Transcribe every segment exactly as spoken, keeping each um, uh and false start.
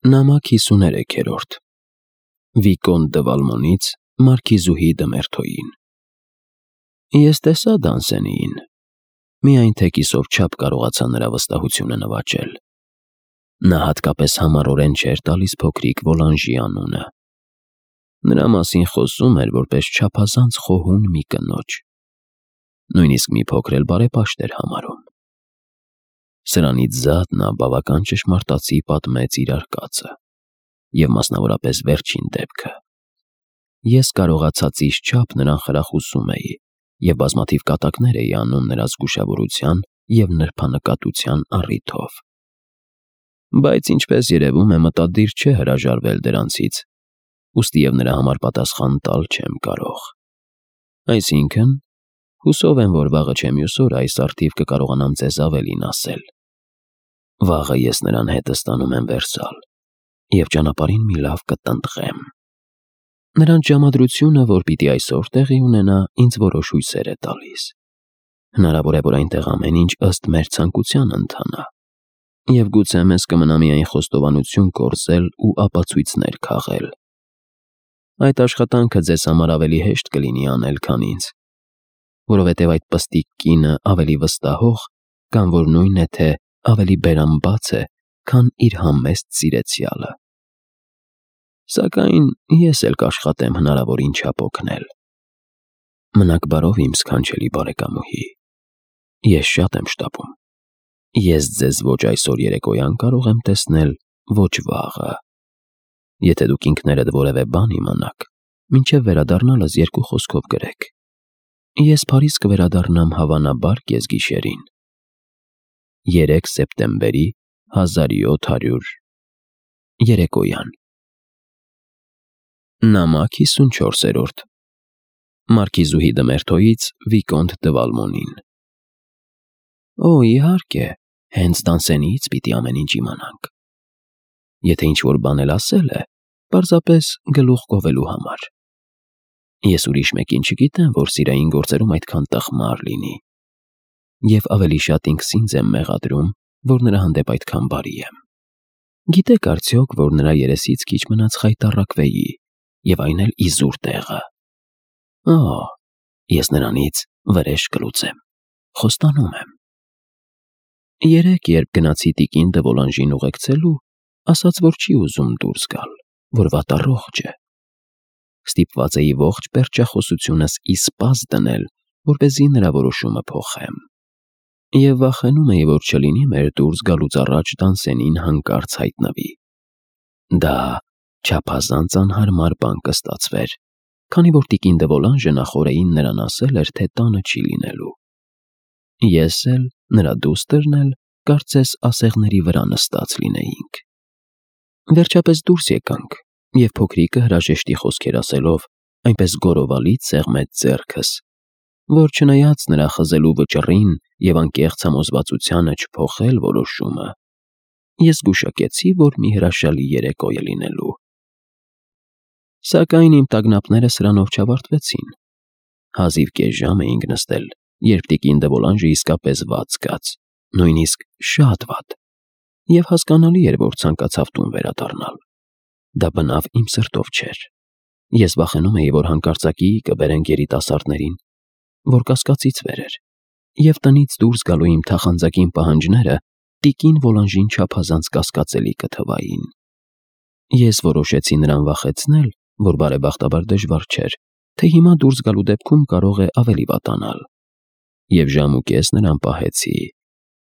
Նամակ հիսուներեքերորդ Վիկոն դը Վալմոնից Մարքիզուհի դը Մերթոյին Ես տեսա Դանսենիին, միայն թե կիսով չափ կարողացա նրա վստահությունը նվաճել։ Նա հատկապես համառորեն չէր տալիս փոքրիկ Վոլանժի անունը։ Նրա մասին խոսում էր որպես չափազանց խոհուն մի կնոջ։ Նույնիսկ մի փոքր էլ բարեպաշտ էր համարում։ Սրանից զատ նա բավական ճշմարտացի պատմեց իր արկածը, և մասնավորապես վերջին դեպքը։ Ես կարողացածիս չափ նրան խրախուսում էի և բազմաթիվ կատակներ էի անում նրա զգուշավորության և նրբանկատության առիթով։ Բայց ինչպես երևում է, մտադիր չէ հրաժարվել դրանցից, ուստի և նրա համար պատասխան տալ չեմ կարող։ Այսինքն, հուսով եմ, որ վաղը չէ մյուս օրը այս առթիվ կկարողանամ ձեզ ավելին ասել։ Վաղը ես նրան հետս տանում եմ Վերսալ և ճանապարհին մի լավ կտնտղեմ։ Նրանց ժամադրությունը, որ պիտի այսօր տեղի ունենա, ինձ որոշ հույսեր է տալիս։ Հնարավոր է, որ այնտեղ ամեն ինչ ըստ մեր ցանկության ընթանա, և գուցե մեզ կմնա միայն խոստովանություն կորզել ու ապացույցներ քաղել։ Այդ աշխատանքը ձեզ համար ավելի հեշտ կլինի անել, քան ինձ, որովհետև այդ պստիկ կինը ավելի վստահող կամ որ նույն է թե ավելի բերամբաց է, քան իր համեստ սիրեցյալը։ Սակայն ես էլ կաշխատեմ հնարավորին չափ օգնել։ Մնաք բարով, իմ սքանչելի բարեկամուհի։ Ես շատ եմ շտապում։ Ես ձեզ ոչ այսօր երեկոյան կարող եմ տեսնել, ոչ վաղը։ Եթե դուք ինքներդ որևէ բան իմանաք, մինչև վերադառնալս երկու խոսքով գրեք։ Ես Փարիզ կվերադառնամ հավանաբար կեսգիշերին։ երեք սեպտեմբերի հազար յոթ հարյուր երեկոյան։ Նամակ հիսունչորսերորդ Մարքիզուհի դը Մերթոյից Վիկոնտ դը Վալմոնին Օ, իհարկե, հենց Դանսենիից պիտի ամեն ինչ իմանանք։ Եթե ինչ-որ բան էլ ասել է, պարզապես գլուխ գովելու համար։ Ես ուրիշ մեկին չգիտեմ, որ սիրային գործերում այդքան տխմար լինի, և ավելի շատ ինքս ինձ եմ մեղադրում, որ նրա հանդեպ այդքան բարի եմ։ Գիտեք արդյոք, որ նրա երեսից քիչ մնաց խայտառակվեի, և այն էլ իզուր տեղը։ Օ, ես նրանից վրեժ կլուծեմ, խոստանում եմ։ Երեկ, երբ գնացի տիկին դը Վոլանժին ուղեկցելու, ասաց, որ չի ուզում դուրս գալ, որ վատառողջ է։ Ստիպված էի ողջ պերճախոսությունս իսպաս դնել, որպեսզի նրա որոշումը փոխեմ։ Եվ վախենում էի, որ չլինի մեր դուրս գալուց առաջ Դանսենին հանկարծ հայտնվի։ Դա չափազանց անհարմար բան կստացվեր, քանի որ տիկին դը Վոլանժը նախօրեին նրան ասել էր, թե տանը չի լինելու։ Ես էլ, նրա դուստրն էլ, կարծես ասեղների վրա նստած լինեինք։ Վերջապես դուրս եկանք, և փոքրիկը հրաժեշտի խոսքեր ասելով, այնպես գոռովալից սեղմեց ձեռքս, որ չնայած նրա խզելու վճռին և անկեղծ համոզվածությանը չփոխել որոշումը, ես գուշակեցի, որ մի հրաշալի երեկո է լինելու։ Սակայն իմ տագնապները սրանով չավարտվեցին։ Հազիվ կես ժամ էինք նստել, երբ տիկին դը Վոլանժը իսկապես վատ զգաց, նույնիսկ շատ վատ, և հասկանալի էր, որ ցանկացավ տուն վերադառնալ։ Դա բնավ իմ սրտով չէր։ Ես վախենում էի, որ հանկարծակի կբերենք երիտասարդներին, որ կասկածից վեր էր, և տնից դուրս գալու իմ թախանձակին պահանջները տիկին Վոլանժին չափազանց կասկածելի կթվային։ Ես որոշեցի նրան վախեցնել, որ բարեբախտաբար դժվար չէր, թե հիմա դուրս գալու դեպքում կարող է ավելի վատանալ, և ժամ ու կես նրան պահեցի,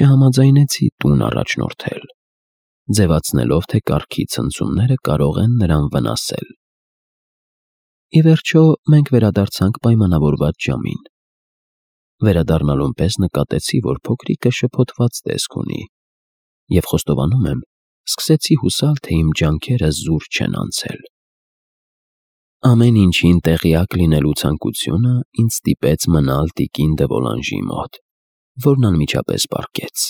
չհամաձայնեցի տուն առաջնորդել, ձևացնելով, թե կառքի ցնցումները կարող են նրան վնասել։ Ի վերջո, մենք վերադարձանք պայմանավորված ժամին։ Վերադառնալուն պես նկատեցի, որ փոքրիկը շփոթված տեսք ունի, և խոստովանում եմ, սկսեցի հուսալ, թե իմ ջանքերը զուր չեն անցել։ Ամեն ինչին տեղյակ լինելու ցանկությունը ինձ ստիպեց մնալ տիկին դը Վոլանժի մոտ, որն անմիջապես պառկեց։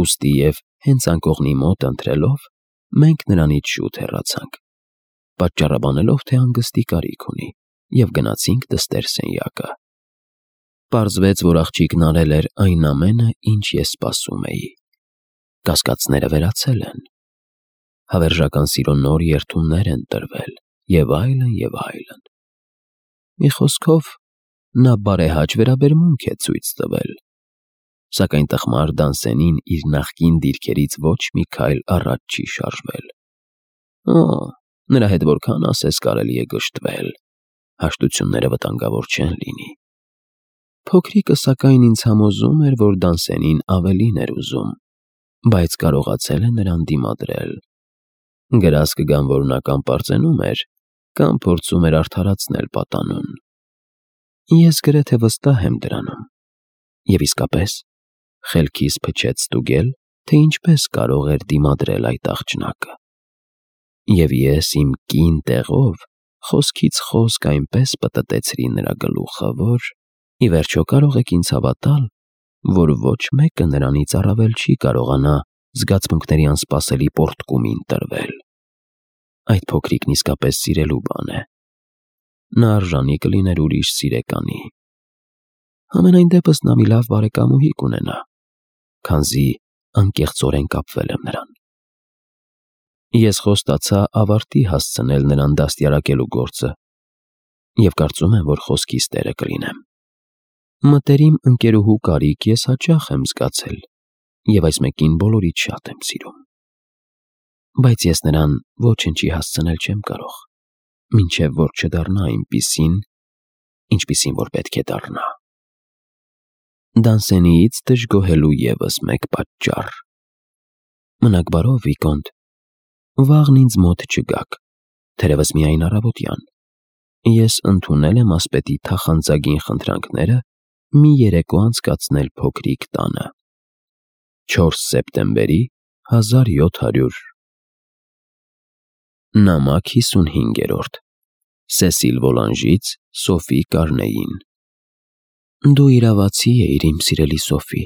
Ուստի և հենց անկողնի մոտ ընթրելով, մենք նրանից շուտ հեռացանք, պատճառաբանելով, թե հանգստի կարիք ունի, և գնացինք դստեր սենյակը։ Պարզվեց, որ աղջիկն արել էր այն ամենը, ինչ ես սպասում էի։ Կասկածները վերացել են։ Հավերժական սիրո նոր երթումներ են տրվել, եւ այլն, եւ այլն։ Մի խոսքով, նա բարեհաճ վերաբերմունք է ցույց տվել, սակայն տխմար Դանսենին իր նախկին դիրքերից ոչ մի քայլ առաջ չի շարժվել։ Օ, նրա հետ որքան ասես կարելի է գժտվել, հաշտությունները վտանգավոր չեն լինի։ Փոքրիկը սակայն ինձ համոզում էր, որ Դանսենին ավելին էր ուզում, բայց կարողացել է նրան դիմադրել։ Գրած կգան, որ նա կամ պարծենում էր, կամ փորձում էր արդարացնել պատանուն։ Ես գրեթե վստահ եմ դրանում։ Եվ իսկապես, խելքիս փչեց ստուգել, թե ինչպես կարող էր դիմադրել այդ աղջնակը։ Եվ ես իմ կին տեղով խոսքից խոսք այնպես պտտեցրի նրա գլուխը, որ ի վերջո կարող եք ինձ հավատալ, որ ոչ մեկը նրանից առավել չի կարողանա զգացմունքների անսպասելի պոռթկումին տրվել։ Այդ փոքրիկն իսկապես սիրելու բան է։ Նա արժանի կլիներ ուրիշ սիրեկանի։ Համենայն դեպս նա մի լավ բարեկամուհի կունենա, քանզի անկեղծորեն կապվել եմ նրան։ Ես խոստացա ավարտի հասցնել նրան դաստիարակելու գործը և կարծում եմ, որ խոսքիս տերը կլինեմ։ Մտերիմ ընկերուհու կարիք ես հաճախ եմ զգացել և այս մեկին բոլորից շատ եմ սիրում։ Բայց ես նրան ոչնչի հասցնել չեմ կարող, մինչև որ չդառնա այնպիսին, ինչպիսին որ պետք է դառնա։ Դանսենիից դժգոհելու ևս մեկ պատճառ։ Մնաք բարով, Վիկոնտ, վաղն ինձ մոտ չգաք, թերևս միայն առավոտյան։ Ես ընդունել եմ ասպետի թախանձագին խնդրանքները մի երեկո անցկացնել փոքրիկ տանը։ չորս սեպտեմբերի հազար յոթ հարյուր Նամակ հիսունհինգերորդ Սեսիլ Վոլանժից Սոֆի Կարնեին։ Դու իրավացի էիր, իմ սիրելի Սոֆի։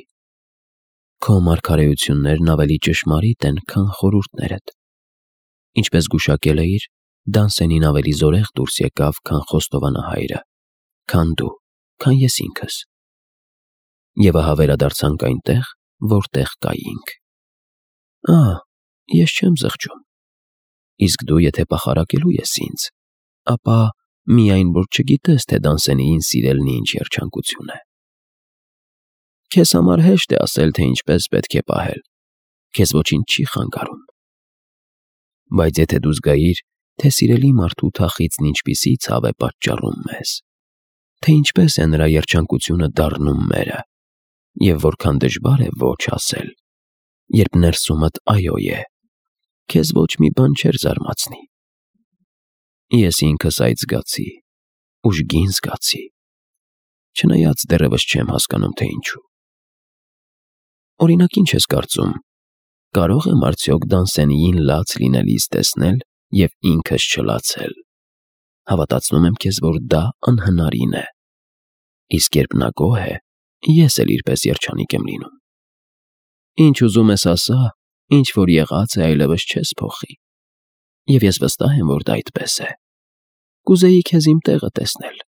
Քո մարգարեություններն ավելի ճշմարիտ են, քան խորհուրդներդ։ Ինչպես գուշակել էիր, Դանսենին ավելի զորեղ դուրս եկավ, քան խոստովանահայրը, քան դու, քան ես ինքս։ Եվ ահա վերադարձանք այնտեղ, որտեղ կայինք։ Ահ, ես չեմ զղջում։ Իսկ դու եթե պախարակելու ես ինձ, ապա միայն որ չգիտես, թե Դանսենիին սիրելն ինչ երջանկություն է։ Քեզ համար հեշտ է ասել, թե ինչպես պետք է պահել, քեզ ոչինչ չի խանգարում։ Բայց եթե դու զգայիր, թե սիրելի մարդու թախիծն ինչպիսի ցավ է պատճառում մեզ, թե ինչպես է նրա երջանկությունը դառնում մերը, և որքան դժվար է ոչ ասել, երբ ներսումդ այո է, քեզ ոչ մի բան չէր զարմացնի։ Ես ինքս այդ զգացի, ուժգին զգացի, չնայած դեռևս չեմ հասկանում, թե ինչու։ Օրինակ, ինչ ես կարծում, կարող եմ արդյոք Դանսենիին լաց լինելիս տեսնել և ինքս չլացել։ Հավատացնում եմ քեզ, որ դա անհնարին է։ Իսկ երբ նա գոհ է, ես էլ իրպես երջանիկ եմ լինում։ Ինչ ուզում ես ասա, ինչ որ եղած է, այլևս չես փոխի։ Եվ ես վստահ եմ, որ դա այդպես է։ Կուզեի քեզ իմ տեղը տեսնել։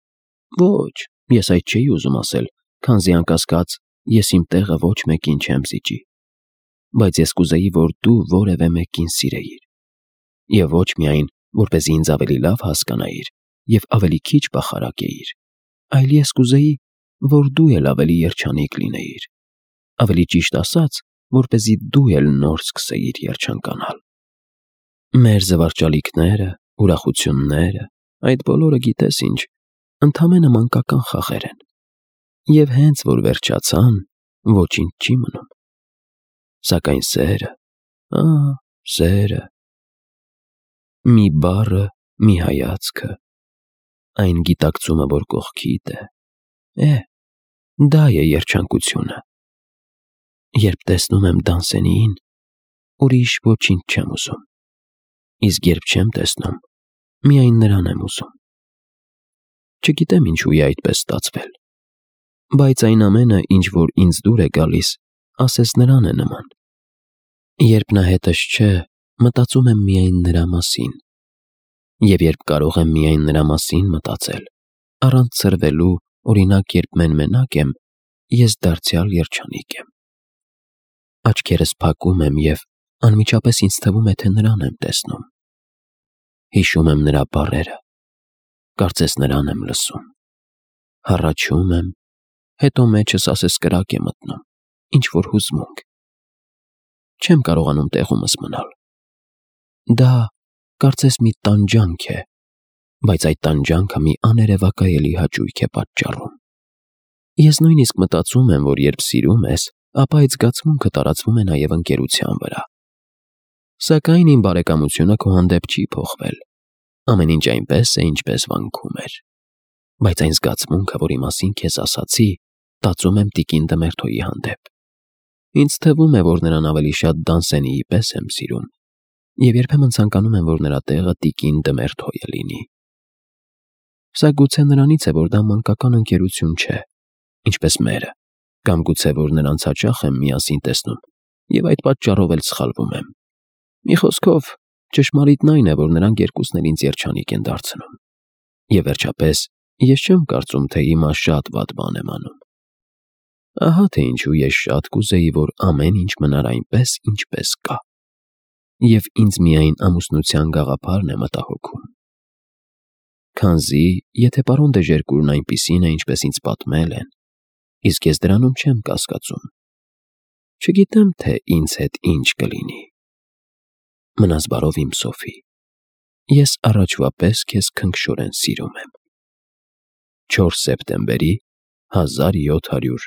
Ոչ, ես այդ չէի ուզում ասել, քանզի անկասկած ես իմ տեղը ոչ մեկին չեմ զիջի։ Բայց ես կուզեի, որ դու որևէ մեկին սիրեիր։ Եվ ոչ միայն, որպեսզի ինձ ավելի լավ հասկանայիր և ավելի քիչ պախարակեիր, այլ ես կուզեի, որ դու էլ ավելի երջանիկ լինեիր։ Ավելի ճիշտ ասած, որպեսզի դու էլ նոր սկսեիր երջանկանալ։ Մեր զվարճալիքները, ուրախությունները, այդ բոլորը գիտես ինչ, ընդամենը մանկական խաղեր են։ Եվ հենց որ վերջացան, ոչինչ չի մնում։ Սակայն սերը, ահ, սերը, մի բառը, մի հայացքը, այն գիտակցումը, որ կողքիդ է, է, դա է երջանկությունը։ Երբ տեսնում եմ Դանսենիին, ուրիշ ոչինչ չեմ ուզում։ Իսկ երբ չեմ տեսնում, միայն նրան եմ ուզում։ Չգիտեմ ինչու է այդպես ստացվել, բայց այն ամենը, ինչ որ ինձ դուր է գալիս, ասես նրան է նման։ Երբ նա հետս չէ, մտածում եմ միայն նրա մասին։ Եվ երբ կարող եմ միայն նրա մասին մտածել, առանց ցրվելու, օրինակ, երբ մեն-մենակ եմ, ես դարձյալ երջանիկ եմ։ Աչքերս փակում եմ և Անմիջապես ինձ թվում է, թե նրան եմ տեսնում։ Հիշում եմ նրա բառերը, կարծես նրան եմ լսում։ Հառաչում եմ, հետո մեջս ասես կրակ է մտնում, ինչ-որ հուզմունք։ Չեմ կարողանում տեղումս մնալ։ Դա կարծես մի տանջանք է, բայց այդ տանջանքը մի աներևակայելի հաճույք է պատճառում։ Ես նույնիսկ մտածում եմ, որ երբ սիրում ես, ապա այդ զգացմունքը տարածվում է նաև ընկերության վրա։ Սակայն իմ բարեկամությունը քո հանդեպ չի փոխվել։ Ամեն ինչ այնպես է, ինչպես վանքում էր։ Բայց այն զգացմունքը, որի մասին քեզ ասացի, տածում եմ տիկին Դմերթոյի հանդեպ։ Ինձ թվում է, որ նրան ավելի շատ Դանսենիի պես եմ սիրում, և երբեմն ցանկանում եմ, որ նրա տեղը տիկին Դմերթոյը լինի։ Սա գուցե նրանից է, որ դա մանկական ընկերություն չէ, ինչպես մերը, կամ գուցե որ նրանց հաճախ եմ միասին տեսնում, և այդ պատճառով էլ սխալվում եմ։ Մի խոսքով, ճշմարիտն այն է, որ նրանք երկուսն էլ ինձ երջանիկ են դարձնում։ Եվ վերջապես, ես չեմ կարծում, թե հիմա շատ վատ բան եմ անում։ Ահա թե ինչու ես շատ կուզեի, որ ամեն ինչ մնար այնպես, ինչպես կա։ Եվ ինձ միայն ամուսնության գաղափարն է մտահոգում։ Քանզի, եթե պարոն Դեժերկուրն այնպիսին է, ինչպես ինձ պատմել են, իսկ ես դրանում չեմ կասկածում, չգիտեմ, թե ինձ հետ ինչ կլինի։ Մնաս բարով, իմ Սոֆի, ես առաջվա պես քեզ քնքշորեն սիրում եմ։ չորս սեպտեմբերի հազար յոթ հարյուր